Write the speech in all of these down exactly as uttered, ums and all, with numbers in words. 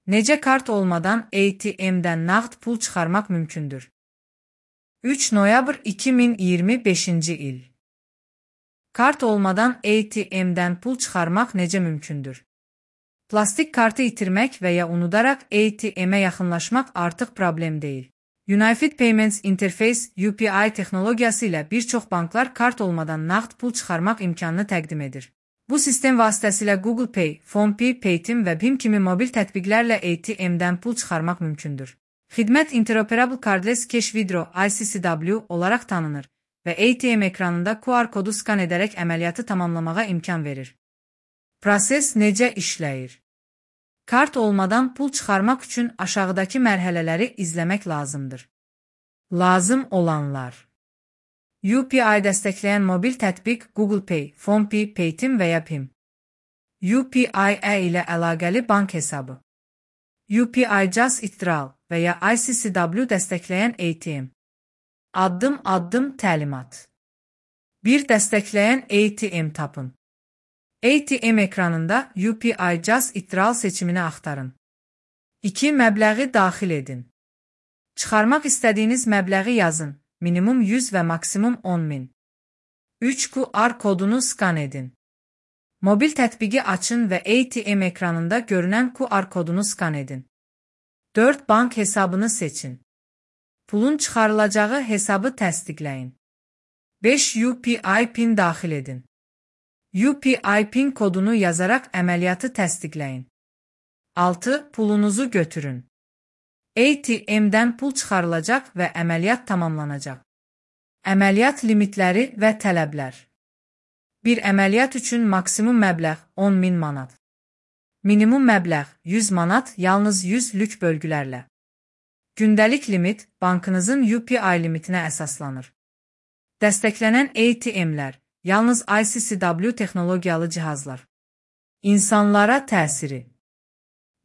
Necə kart olmadan A T M-dən nağd pul çıxarmaq mümkündür? üç noyabr iki min iyirmi beşinci il. Kart olmadan A T M-dən pul çıxarmaq necə mümkündür? Plastik kartı itirmək və ya unudaraq A T M-ə yaxınlaşmaq artıq problem deyil. Unified Payments Interface U P I texnologiyası ilə bir çox banklar kart olmadan nağd pul çıxarmaq imkanını təqdim edir. Bu sistem vasitəsilə Google Pay, PhonePe, Paytm və Bim kimi mobil tətbiqlərlə A T M-dən pul çıxarmaq mümkündür. Xidmət Interoperable Cardless Cash Withdrawal I C C W olaraq tanınır və A T M ekranında Q R kodu skan edərək əməliyyatı tamamlamağa imkan verir. Proses necə işləyir? Kart olmadan pul çıxarmaq üçün aşağıdakı mərhələləri izləmək lazımdır. Lazım olanlar: U P I dəstəkləyən mobil tətbiq Google Pay, PhonePe, Paytm və ya Bim. U P I-E ilə əlaqəli bank hesabı. U P I Just Withdrawal və ya I C C W dəstəkləyən A T M. Addım-addım təlimat. bir Dəstəkləyən A T M tapın. A T M ekranında U P I Just Withdrawal seçimini axtarın. iki Məbləği daxil edin. Çıxarmaq istədiyiniz məbləği yazın, minimum yüz və maksimum on min. üç Q R kodunu skan edin. Mobil tətbiqi açın və A T M ekranında görünən Q R kodunu skan edin. dörd Bank hesabını seçin. Pulun çıxarılacağı hesabı təsdiqləyin. beş U P I PIN daxil edin. U P I PIN kodunu yazaraq əməliyyatı təsdiqləyin. altı Pulunuzu götürün. A T M-dən pul çıxarılacaq və əməliyyat tamamlanacaq. Əməliyyat limitləri və tələblər. Bir əməliyyat üçün maksimum məbləğ on min manat. Minimum məbləğ yüz manat, yalnız yüz lük bölgülərlə. Gündəlik limit bankınızın U P I limitinə əsaslanır. Dəstəklənən A T M-lər, yalnız I C C W texnologiyalı cihazlar. İnsanlara təsiri.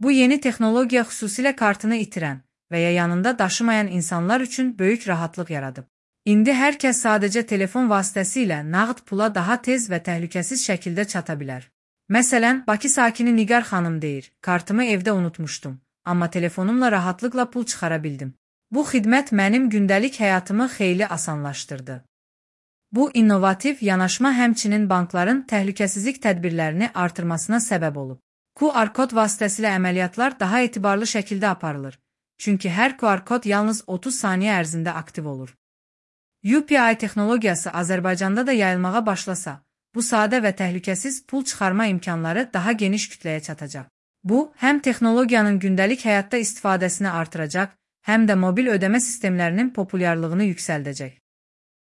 Bu yeni texnologiya xüsusilə kartını itirən və ya yanında daşımayan insanlar üçün böyük rahatlıq yaradıb. İndi hər kəs sadəcə telefon vasitəsilə nağd pula daha tez və təhlükəsiz şəkildə çata bilər. Məsələn, Bakı sakini Nigar xanım deyir, kartımı evdə unutmuşdum, amma telefonumla rahatlıqla pul çıxara bildim. Bu xidmət mənim gündəlik həyatımı xeyli asanlaşdırdı. Bu innovativ yanaşma həmçinin bankların təhlükəsizlik tədbirlərini artırmasına səbəb olub. Q R kod vasitəsilə əməliyyatlar daha etibarlı şəkildə aparılır, çünki hər Q R kod yalnız otuz saniyə ərzində aktiv olur. U P I texnologiyası Azərbaycanda da yayılmağa başlasa, bu sadə və təhlükəsiz pul çıxarma imkanları daha geniş kütləyə çatacaq. Bu, həm texnologiyanın gündəlik həyatda istifadəsini artıracaq, həm də mobil ödəmə sistemlərinin populyarlığını yüksəldəcək.